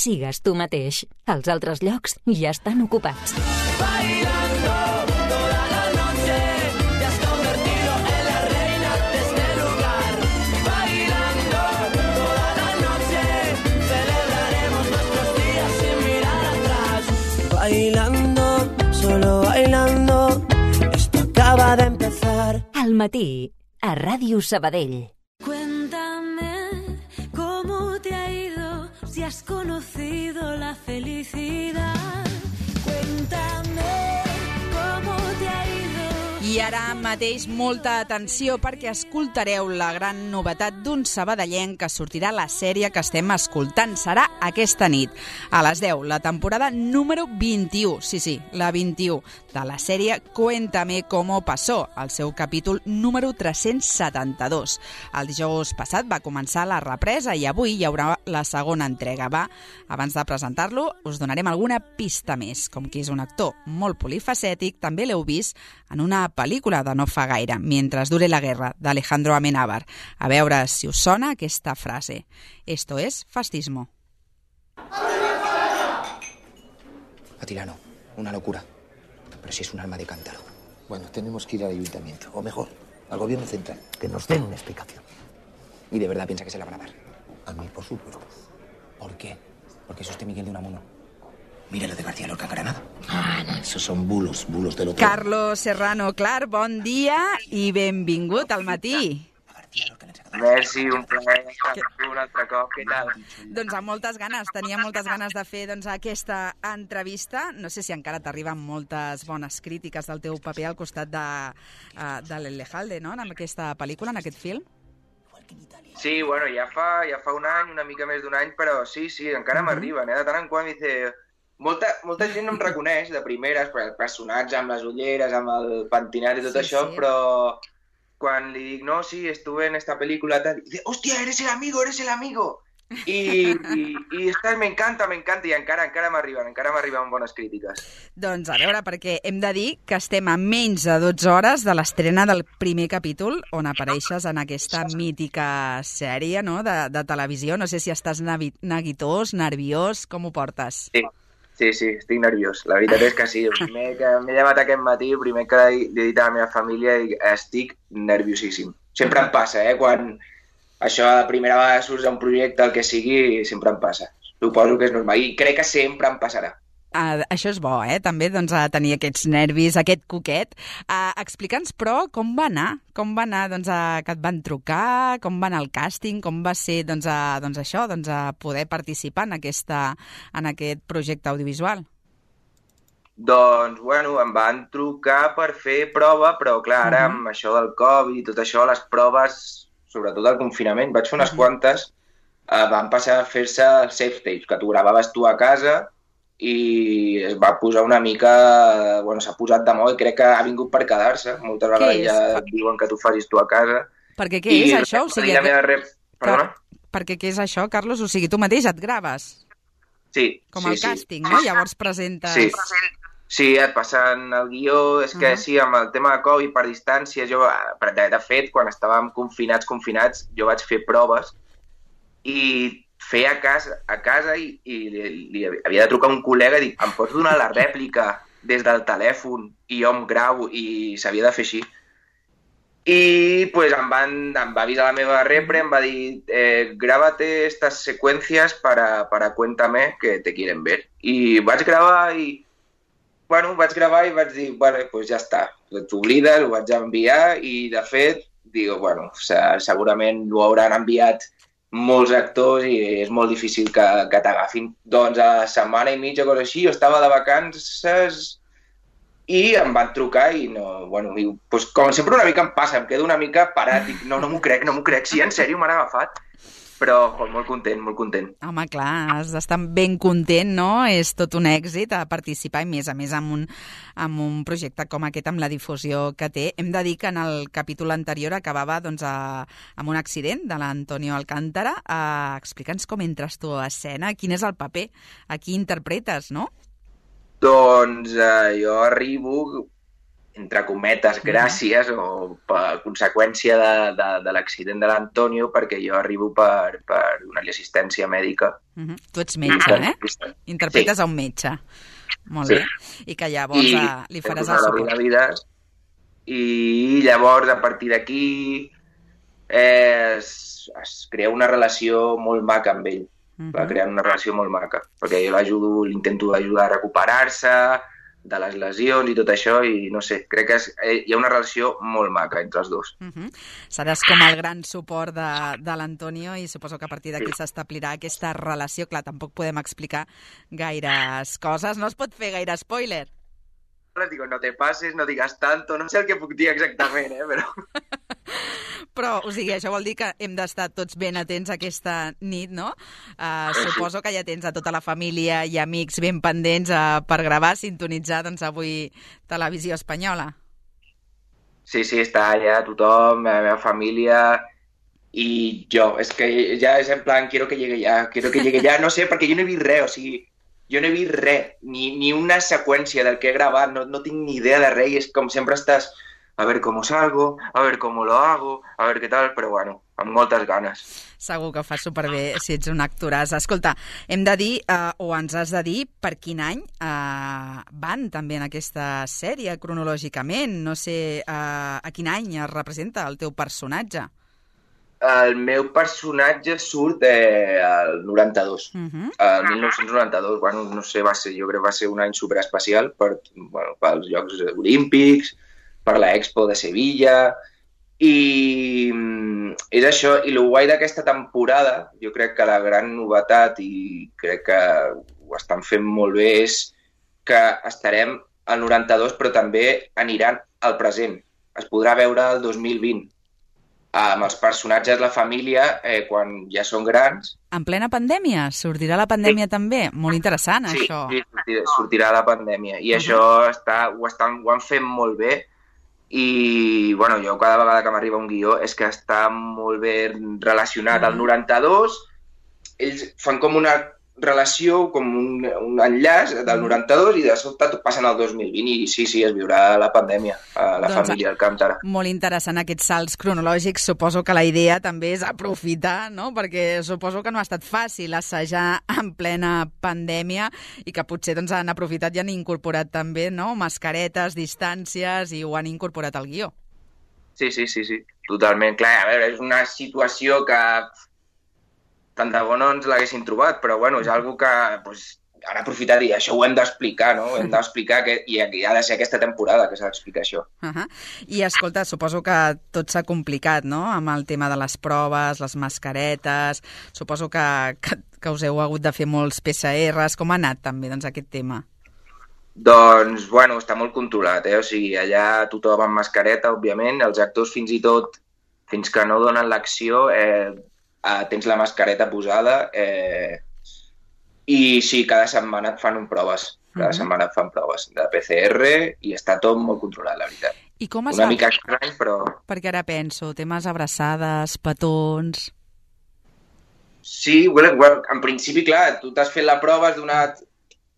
sigues tu mateix. Els altres llocs ja estan ocupats. Bailando toda la noche, te has convertido en la reina de este lugar. Bailando toda la noche, celebraremos nuestros días sin mirar atrás. Bailando, solo bailando, esto acaba de empezar. Al matí, a Ràdio Sabadell. Cuéntame cómo te ha ido, si has conocido la felicidad. Cuéntame cómo te ha ido. I ara mateix molta atenció perquè escoltareu la gran novetat d'un sabadellenc que sortirà a la sèrie que estem escoltant. Serà aquesta nit, a les 10, la temporada número 21, sí, la 21, de la sèrie Cuéntame cómo pasó, el seu capítol número 372. El dijous passat va començar la represa i avui hi haurà la segona entrega. Abans de presentar-lo, us donarem alguna pista més, com que és un actor molt polifacètic, també l'heu vist en una pel·lícula de no fa gaire, Mientras dure la guerra, d'Alejandro Amenábar. A veure si us sona aquesta frase. Esto es fascismo. Atilano, una locura. Pero si es un arma de cántaro. Bueno, tenemos que ir al ayuntamiento, o mejor, al gobierno central, que nos den una explicación. ¿Y de verdad piensa que se la van a dar? A mí, por supuesto. ¿Por qué? Porque es usted Miguel de Unamuno. Mira lo de García Lorca en Granada. No, esos son bulos del otro. Carlos Serrano Clar, bon dia i benvingut al matí. Merci, un plaer estar un altre cop. Què tal? Doncs amb moltes ganes, tenia moltes ganes de fer aquesta entrevista. No sé si encara t'arriben moltes bones crítiques del teu paper al costat de l'Elejalde, no?, en aquesta pel·lícula, en aquest film. Sí, bueno, ja fa un any, una mica més d'un any, però sí, encara m'arriben, De tant en quant dice... Molta gent no em reconeix de primeres, perquè el personatge amb les ulleres, amb el pentinat i tot això, però quan li dic, no, sí, estuve en esta película, tal, dice, hòstia, eres el amigo! I me encanta, i encara m'arriben bones crítiques. Doncs a veure, perquè hem de dir que estem a menys de 12 hores de l'estrena del primer capítol, on apareixes en aquesta mítica sèrie, no?, de televisió. No sé si estàs neguitós, nerviós, com ho portes? Sí, estic nerviós. La veritat és que sí. El primer que m'he llevat aquest matí, el primer que he dit a la meva família, estic nerviosíssim. Sempre em passa, quan això la primera vegada surts d'un projecte, el que sigui, sempre em passa. Suposo que és normal i crec que sempre em passarà. Això és bo, també, doncs, tenir aquests nervis, aquest coquet. Explica'ns, però, com va anar? Com va anar, doncs, que et van trucar? Com va anar el càsting? Com va ser, doncs, això, doncs, poder participar en aquest projecte audiovisual? Doncs, bueno, em van trucar per fer prova, però, clar, ara amb això del Covid i tot això, les proves, sobretot el confinament, vaig fer unes quantes, van passar a fer-se safe tapes, que t'ho gravaves tu a casa, i es va posar una mica... Bueno, s'ha posat de moda i crec que ha vingut per quedar-se. Moltes vegades ja et diuen que t'ho facis tu a casa. Perquè què és això? O sigui, Perdona? Perquè què és això, Carlos? O sigui, tu mateix et graves? Sí. Com el càsting, no? Llavors presentes... Sí, et passen el guió. És que sí, amb el tema de Covid, per distància, jo, de fet, quan estàvem confinats, jo vaig fer proves i feia a casa i li havia de trucar un col·lega i dic, em pots donar la rèplica des del telèfon i jo em gravo, i s'havia de fer així. I pues, em va avisar la meva repre, em va dir, grábate estas secuencias para Cuéntame, que te quieren ver. I vaig gravar i vaig dir, bueno, pues ja està, t'oblides, ho vaig enviar i de fet, dic, bueno, segurament ho hauran enviat molts actors i és molt difícil que t'agafin. Doncs a la setmana i mitja, cosa així, jo estava de vacances i em van trucar i no... Bueno, pues, com sempre una mica em passa, em quedo una mica parat, dic, no m'ho crec, sí, en sèrio m'han agafat. Però molt content. Home, clar, has d'estar ben content, no? És tot un èxit a participar i més a més amb un projecte com aquest, amb la difusió que té. Hem de dir que en el capítol anterior acabava doncs, amb un accident de l'Antonio Alcántara. Explica'ns com entres tu a escena, quin és el paper, a qui interpretes, no? Doncs jo arribo entre cometes, gràcies o per conseqüència de l'accident de l'Antonio, perquè jo arribo per donar-li assistència mèdica. Tu ets metge, Interpretes a un metge. Molt bé. I que llavors li faràs el suport. I llavors, a partir d'aquí, es crea una relació molt maca amb ell. Va crear una relació molt maca, perquè jo l'intento ajudar a recuperar-se de les lesions i tot això, i no sé, crec que hi ha una relació molt maca entre els dos. Seràs com el gran suport de l'Antonio i suposo que a partir d'aquí s'establirà aquesta relació. Clar, tampoc podem explicar gaires coses, no es pot fer gaire spoiler. Les digo, no te pases, no digas tanto, no sé el que puc dir exactament, però... Però, o sigui, això vol dir que hem d'estar tots ben atents aquesta nit, no? Suposo que ja tens a tota la família i amics ben pendents per gravar, sintonitzar, doncs, avui Televisió Espanyola. Sí, està allà tothom, la meva família i jo. És que ja és en plan, quiero que llegue ya, no sé, perquè jo no he vist res, o sigui, jo no he vist res, ni una seqüència del que he gravat, no tinc ni idea de res, i és com sempre estàs... a ver cómo salgo, a ver cómo lo hago, a ver qué tal, però bueno, amb moltes ganes. Segur que ho fas superbé si ets un actoràs. Escolta, hem de dir, o ens has de dir, per quin any van també en aquesta sèrie, cronològicament. No sé a quin any es representa el teu personatge. El meu personatge surt al 92, el 1992, bueno, no sé, jo crec que va ser un any superespecial pels Jocs Olímpics, per la Expo de Sevilla, i és això. I el guai d'aquesta temporada, jo crec que la gran novetat, i crec que ho estan fent molt bé, és que estarem al 92, però també aniran al present. Es podrà veure el 2020, amb els personatges, la família, quan ja són grans. En plena pandèmia? Sortirà la pandèmia també? Molt interessant, això. Sí, sortirà la pandèmia. I això ho han fet molt bé. I, bueno, jo cada vegada que m'arriba un guió és que està molt bé relacionat al 92, ells fan com una relació, com un enllaç del 92 i de sobte passen al 2020 i sí, es viurà la pandèmia a la família al Camp d'Ara. Molt interessant aquests salts cronològics. Suposo que la idea també és aprofitar, no? Perquè suposo que no ha estat fàcil assajar en plena pandèmia i que potser doncs, han aprofitat i han incorporat també, no? Mascaretes, distàncies, i ho han incorporat al guió. Sí, totalment. Clar, a veure, és una situació que tant de bo no ens l'haguessin trobat, però bueno, és algo que han aprofitat i això ho hem d'explicar, no? Hem d'explicar i ha de ser aquesta temporada que s'ha d'explicar això. I escolta, suposo que tot s'ha complicat, no? Amb el tema de les proves, les mascaretes, suposo que us heu hagut de fer molts PCRs. Com ha anat també doncs, aquest tema? Doncs, bueno, està molt controlat, O sigui, allà tothom amb mascareta, òbviament, els actors fins i tot, fins que no donen l'acció, tens la mascareta posada, i sí, cada setmana et fan proves. Cada setmana et fan proves de PCR i està tot molt controlat, la veritat. I com es Una mica estrany, però... Perquè ara penso, temes abraçades, petons... Sí, en principi, clar, tu t'has fet la prova, has donat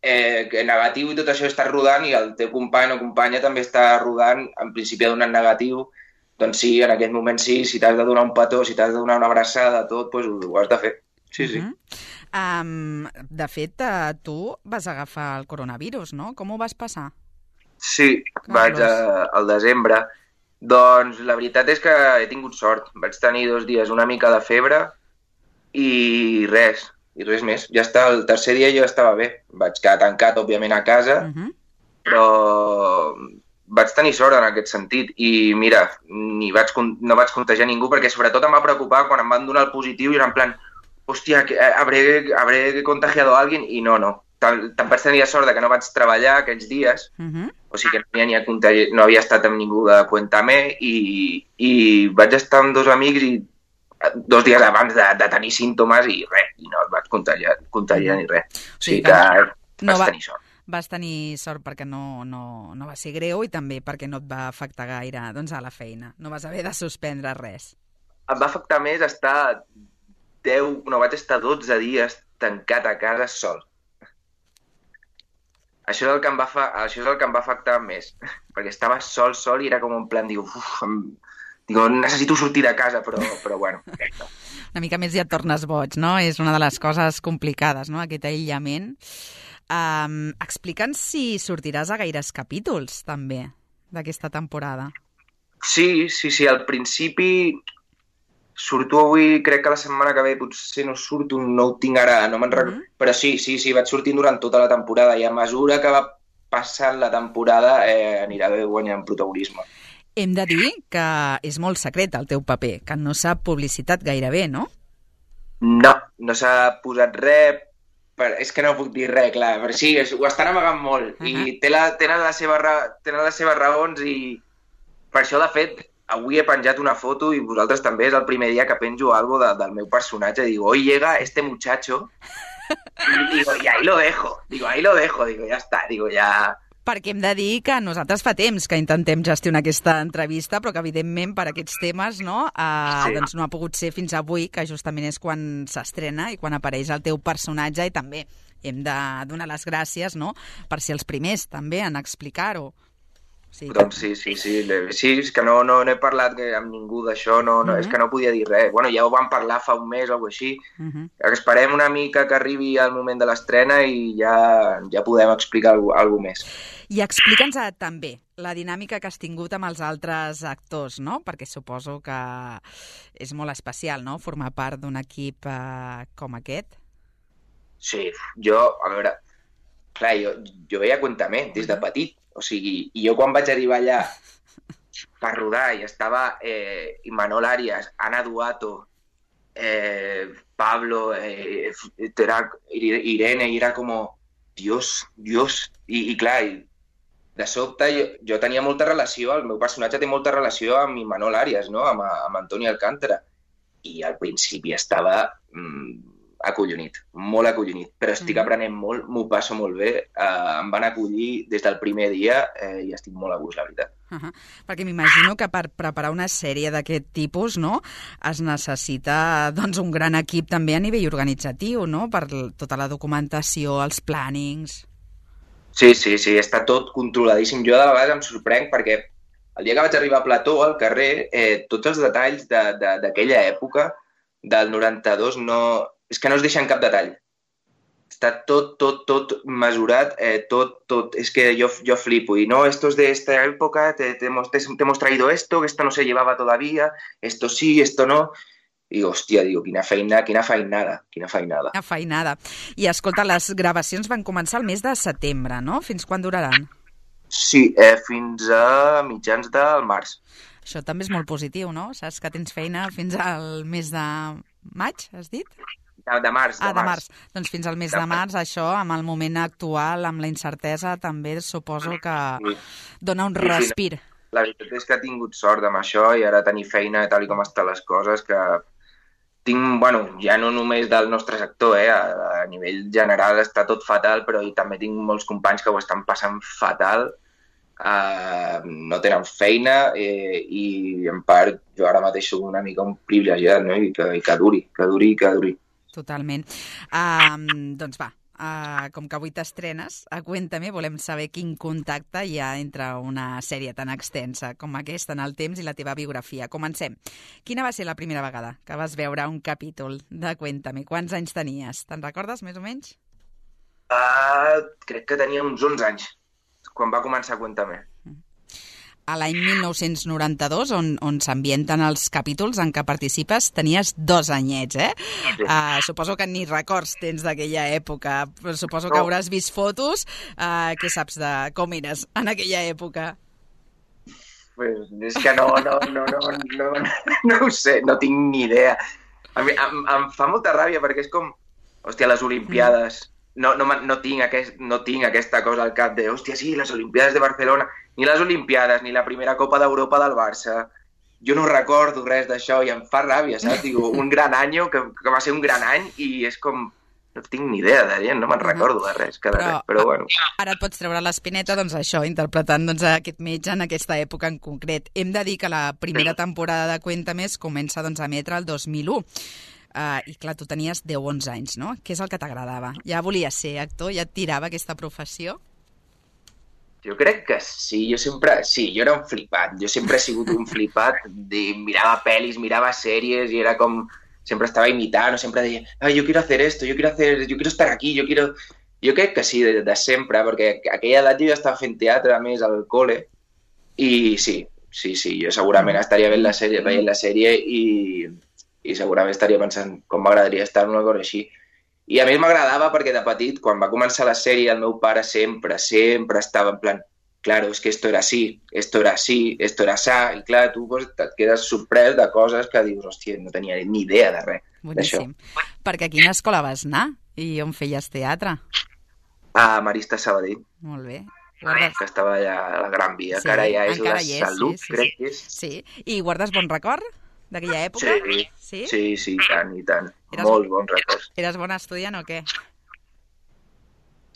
negatiu i tot això estàs rodant i el teu company o companya també està rodant, en principi ha donat negatiu. Doncs sí, en aquest moment sí, si t'has de donar un petó, si t'has de donar una abraçada, tot, doncs ho has de fer. Sí. De fet, tu vas agafar el coronavirus, no? Com ho vas passar? Sí, vaig al desembre. Doncs la veritat és que he tingut sort. Vaig tenir 2 dies una mica de febre i res més. Ja està, el tercer dia jo estava bé. Vaig quedar tancat, òbviament, a casa, però... vaig tenir sort en aquest sentit i mira, no vaig contagiar ningú perquè sobretot em va preocupar quan em van donar el positiu i era en plan, hòstia, habré contagiado a alguien i no. Tant vaig tenir sort que no vaig treballar aquells dies, o sigui que no havia estat amb ningú de Cuéntame i vaig estar amb 2 amics i 2 dies abans de tenir símptomes i res, i no et vaig contagiar ni res. O sigui que vaig tenir sort. Vas tenir sort perquè no va ser greu i també perquè no et va afectar gaire doncs, a la feina. No vas haver de suspendre res. Em va afectar més vaig estar 12 dies tancat a casa sol. Això és el que em va afectar més, perquè estava sol i era com en plan, digo, necessito sortir de casa, però bueno. Una mica més ja et tornes boig, no? És una de les coses complicades, no?, aquest aïllament. Explica'ns si sortiràs a gaires capítols, també, d'aquesta temporada. Sí, al principi surto avui, crec que la setmana que ve potser no surto, no ho tinc ara, no me'n recordo, però sí, vaig sortint durant tota la temporada i a mesura que va passant la temporada anirà guanyant protagonisme. Hem de dir que és molt secret el teu paper, que no s'ha publicitat gairebé, no? No s'ha posat res, és que no puc dir res, clar, però sí, ho estan amagant molt i tenen les seves raons i per això, de fet, avui he penjat una foto i vosaltres també, és el primer dia que penjo algo del meu personatge. Digo, hoy llega este muchacho y ahí lo dejo. Digo, ya está, ya... Perquè hem de dir que nosaltres fa temps que intentem gestionar aquesta entrevista, però que evidentment per aquests temes doncs no ha pogut ser fins avui, que justament és quan s'estrena i quan apareix el teu personatge, i també hem de donar les gràcies, no?, per ser els primers també en explicar-ho. Sí, doncs sí, és que no he parlat amb ningú d'això, és que no podia dir res. Bueno, ja ho vam parlar fa un mes o alguna cosa així. Esperem una mica que arribi el moment de l'estrena i ja podem explicar alguna cosa més. I explica'ns també la dinàmica que has tingut amb els altres actors, no? Perquè suposo que és molt especial, no?, formar part d'un equip com aquest. Sí, a veure, clar, jo veia Cuéntame des de petit. O sigui, i jo quan vaig arribar allà per rodar i estava Imanol Arias, Ana Duato, Pablo, Irene, i era com, Dios, i clar, de sobte jo tenia molta relació, el meu personatge té molta relació amb Imanol Arias, no?, amb Antoni Alcántara, i al principi estava acollonit, molt acollonit, però estic aprenent molt, m'ho passo molt bé, em van acollir des del primer dia i estic molt a gust, la veritat. Perquè m'imagino que per preparar una sèrie d'aquest tipus, no?, es necessita doncs un gran equip també a nivell organitzatiu, no?, per tota la documentació, els plànings... Sí, està tot controladíssim. Jo de vegades em sorprenc perquè el dia que vaig arribar a Plató, al carrer, tots els detalls d'aquella època, del 92, és que no es deixen cap detall. Està tot mesurat, tot. És que jo flipo. Y no, esto es de esta época, te hemos traído esto, que esto no se llevaba todavía, esto sí, esto no. I, hòstia, quina feinada. Quina feinada. I, escolta, les gravacions van començar el mes de setembre, no? Fins quan duraran? Sí, fins a mitjans del març. Això també és molt positiu, no? Saps que tens feina fins al mes de maig, has dit? De març. De març. Doncs fins al mes de març, això, amb el moment actual, amb la incertesa, també suposo que dona un respir. La veritat és que he tingut sort amb això i ara tenir feina tal com estan les coses, que tinc, ja no només del nostre sector, a nivell general està tot fatal, però també tinc molts companys que ho estan passant fatal, no tenen feina i en part jo ara mateix soc una mica un privilegiat, no? I que duri. Totalment. Doncs va, com que avui t'estrenes, a Cuéntame volem saber quin contacte hi ha entre una sèrie tan extensa com aquesta en el temps i la teva biografia. Comencem. Quina va ser la primera vegada que vas veure un capítol de Cuéntame? Quants anys tenies? Te'n recordes, més o menys? Crec que tenia uns 11 anys, quan va començar Cuéntame. A l'any 1992, on s'ambienten els capítols en què participes, tenies 2 anyets, suposo que ni records tens d'aquella època, però suposo que hauràs vist fotos. Què saps de com eres en aquella època? Pues és que no ho sé, no tinc ni idea. A mi em fa molta ràbia perquè és com, hòstia, les Olimpiades... No tinc aquesta cosa al cap de, hòstia, sí, les Olimpiades de Barcelona, ni les Olimpiades, ni la primera Copa d'Europa del Barça. Jo no recordo res d'això i em fa ràbia, saps? Digo, un gran any, que va ser un gran any, i és com, no tinc ni idea de res, no me'n recordo de res, però bueno. Ara et pots treure l'espineta, doncs això, interpretant aquest metge en aquesta època en concret. Hem de dir que la primera temporada de Cuéntame comença a emetre el 2001. I clar, tu tenies 10 o 11 anys, no? Què és el que t'agradava? Ja volies ser actor? Ja et tirava aquesta professió? Jo crec que sí, jo era un flipat, jo sempre he sigut un flipat, mirava pel·lis, mirava sèries i era com, sempre estava imitant, o sempre deia, yo quiero hacer esto, yo quiero estar aquí, Jo crec que sí, de sempre, perquè a aquella edat jo ja estava fent teatre, a més, al col·le, i sí, jo segurament estaria veient la sèrie i segurament estaria pensant com m'agradaria estar en una cosa així. I a més m'agradava perquè de petit, quan va començar la sèrie, el meu pare sempre estava en plan, claro, es que esto era así, esto era asá, i clar, tu pues, et quedes sorprès de coses que dius, hòstia, no tenia ni idea de res d'això. Boníssim. Perquè a quina escola vas anar i on feies teatre? A Marista Sabadell, Molt bé. que estava allà a la Gran Via, Sí, que ara ja és encara la hi és, Salut, sí. crec que és. Sí, i guardes bon record d'aquella època? Sí, i tant. Eres Molt bons records. Eres bon estudiant o què?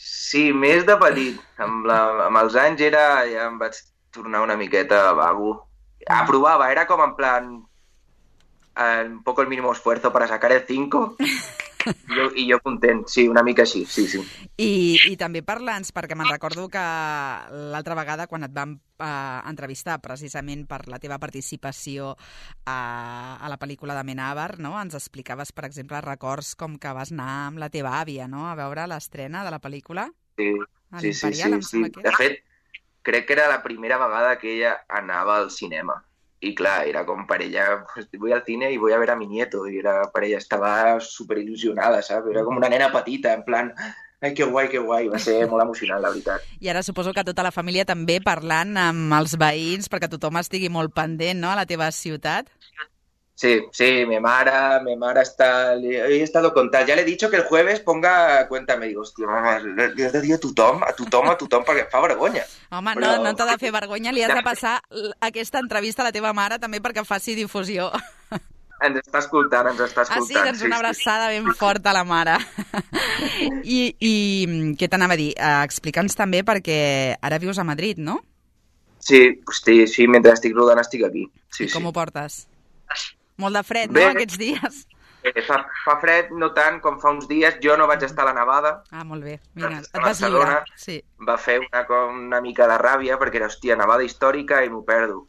Sí, més de petit. Amb els anys ja em vaig tornar una miqueta vago. Aprovava, era com en plan un poco el mínimo esfuerzo para sacar el 5 i jo content, sí, una mica així, sí. I també parla'ns, perquè me'n recordo que l'altra vegada quan et vam entrevistar precisament per la teva participació a la pel·lícula de Amenábar, no? Ens explicaves, per exemple, records com que vas anar amb la teva àvia, no?, a veure l'estrena de la pel·lícula. Sí. De fet, crec que era la primera vegada que ella anava al cinema. Y claro, era como para ella, pues, voy al cine y voy a ver a mi nieto. Y era para ella, estaba súper ilusionada, ¿sabes? Era como una nena patita, en plan, ai, que guai. Va ser molt emocionant, la veritat. I ara suposo que tota la família també parlant amb els veïns perquè tothom estigui molt pendent, no?, a la teva ciutat. Sí, mi mare está... He estado con tal. Ya le he dicho que el jueves ponga Cuéntame. Digo, hòstia, li has de dir a tothom, perquè fa vergonya. Home, però... no t'ha de fer vergonya, li has de passar aquesta entrevista a la teva mare també perquè faci difusió. Ens està escoltant. Ah, sí? Doncs una abraçada ben forta a la mare. I què t'anava a dir? Explica'ns també perquè ara vius a Madrid, no? Sí, mentre estic rodant estic aquí. Sí, com ho portes? Molt de fred, bé, no, aquests dies? Fa fred, no tant com fa uns dies. Jo no vaig estar a la nevada. Ah, molt bé. Mira, et vas lliurar. Sí. Va fer una mica de ràbia perquè era, hòstia, nevada històrica i m'ho perdo.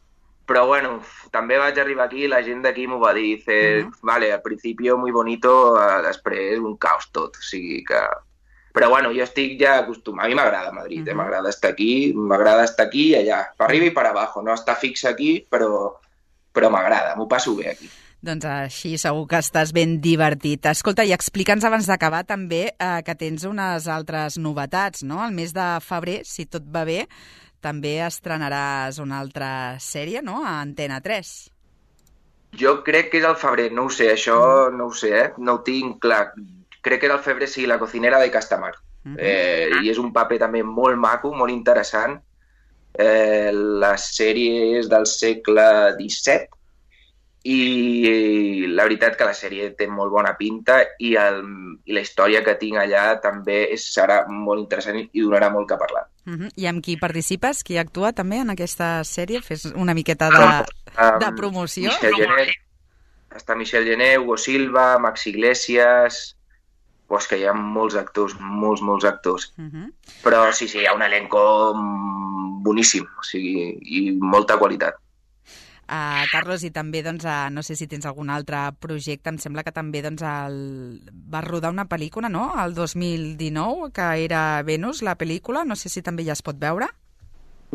Però bueno, també vaig arribar aquí i la gent d'aquí m'ho va dir. Vale, al principio muy bonito, després un caos tot. O sigui que... Però bueno, jo estic ja acostumat. A mi m'agrada Madrid, m'agrada estar aquí i allà, per arriba i per abajo. No estar fix aquí, però m'agrada, m'ho passo bé aquí. Doncs així segur que estàs ben divertit. Escolta, i explica'ns abans d'acabar també que tens unes altres novetats, no? El mes de febrer, si tot va bé, també estrenaràs una altra sèrie, no?, a Antena 3. Jo crec que és al febrer, no ho sé, això no ho sé, no ho tinc clar. Crec que era al febrer, sí, La cocinera de Castamar. I és un paper també molt maco, molt interessant. La sèrie és del segle XVII i la veritat que la sèrie té molt bona pinta i la història que tinc allà també serà molt interessant i donarà molt que parlar. I amb qui participes? Qui actua també en aquesta sèrie? Fes una miqueta de promoció. Està Michel Gené, Hugo Silva, Max Iglesias... Pues que hi ha molts actors, molts actors. Però sí, hi ha un elenco boníssim, o sigui, i molta qualitat. Carlos, i també, doncs, no sé si tens algun altre projecte, em sembla que també doncs, vas rodar una pel·lícula, no?, el 2019, que era Venus, la pel·lícula, no sé si també ja es pot veure?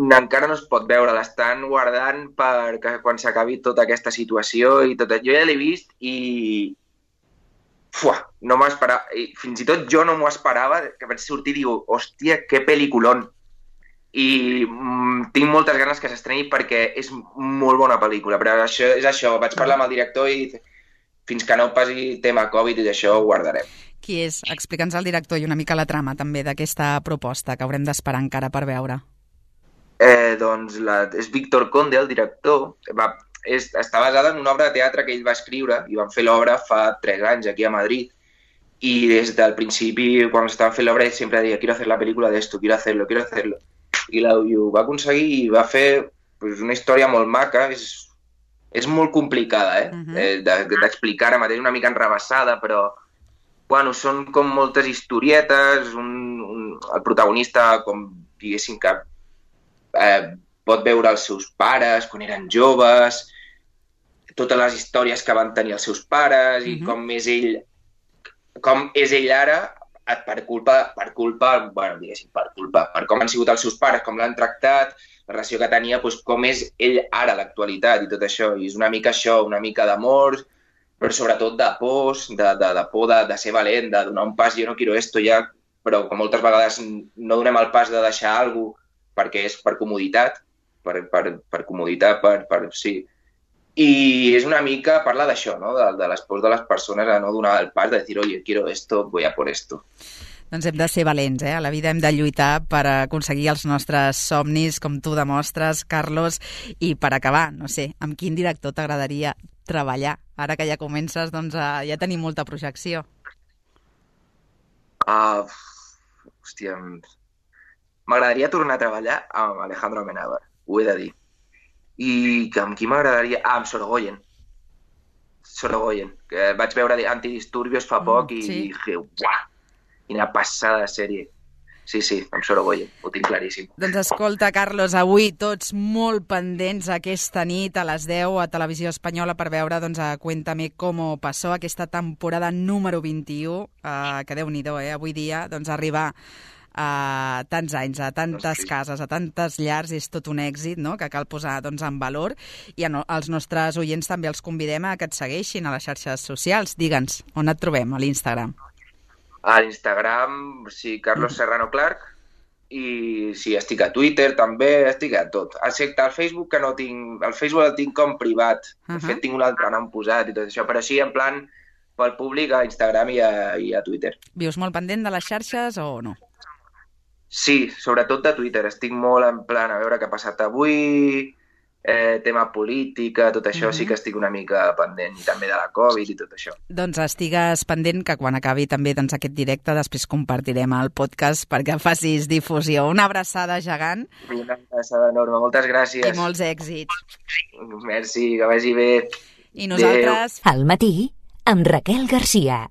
Encara no es pot veure, l'estan guardant perquè quan s'acabi tota aquesta situació i tot. Jo ja l'he vist i... no m'esperava, fins i tot jo no m'ho esperava, que vaig sortir i diu, hòstia, que pel·lículon. I tinc moltes ganes que s'estreni perquè és molt bona pel·lícula, però és això, vaig parlar amb el director i fins que no passi tema Covid i això ho guardarem. Qui és? Explica'ns el director i una mica la trama també d'aquesta proposta que haurem d'esperar encara per veure. Doncs és Víctor Conde, el director. Està basada en una obra de teatre que ell va escriure i van fer l'obra fa 3 anys aquí a Madrid i des del principi, quan estaven fent l'obra, ell sempre deia quiero hacer la película de esto, quiero hacerlo. I ho va aconseguir i va fer una història molt maca. És molt complicada d'explicar ara mateix, una mica enrevessada, però bueno, són com moltes historietes. El protagonista, com diguéssim que pot veure els seus pares quan eren joves, totes les històries que van tenir els seus pares i com és ell ara per com han sigut els seus pares, com l'han tractat, la relació que tenia, doncs com és ell ara a l'actualitat i tot això. I és una mica això, una mica d'amor, però sobretot de pors, de por de ser valent, de donar un pas, jo no quiero esto ja, però que moltes vegades no donem el pas de deixar alguna cosa perquè és per comoditat, per comoditat, sí. I és una mica parlar d'això, no? De les pors de les persones a no donar el pas, de dir, oye, quiero esto, voy a por esto. Doncs hem de ser valents, A la vida hem de lluitar per aconseguir els nostres somnis, com tu demostres, Carlos. I per acabar, no sé, amb quin director t'agradaria treballar? Ara que ja comences, doncs ja tenim molta projecció. Hòstia, m'agradaria tornar a treballar amb Alejandro Amenábar, ho he de dir. I amb qui m'agradaria? Amb Sorogoyen, que vaig veure Antidisturbios fa poc i dije, uah, quina passada de sèrie. Sí, amb Sorogoyen, ho tinc claríssim. Doncs escolta, Carlos, avui tots molt pendents aquesta nit a les 10 a Televisió Espanyola per veure a Cuéntame cómo pasó, aquesta temporada número 21, que Déu-n'hi-do, avui dia arribar a tants anys, a tantes cases, a tantes llars, és tot un èxit, no?, que cal posar en valor. I als nostres oients també els convidem a que et segueixin a les xarxes socials. Digue'ns, on et trobem, a l'Instagram? A l'Instagram, sí, Carlos Serrano Clark, i sí, estic a Twitter també, estic a tot. Excepte al Facebook, que no tinc... El Facebook el tinc com privat. De fet, tinc un altre nom posat i tot això, però sí, en plan, pel públic, a Instagram i a Twitter. Vius molt pendent de les xarxes o no? Sí, sobretot de Twitter. Estic molt en plan a veure què ha passat avui, tema política, tot això sí que estic una mica pendent, i també de la Covid i tot això. Doncs estigues pendent, que quan acabi també aquest directe després compartirem el podcast perquè facis difusió. Una abraçada gegant. Una abraçada enorme, moltes gràcies. I molts èxits. Merci, que vagi bé. I nosaltres... Al matí, amb Raquel Garcia.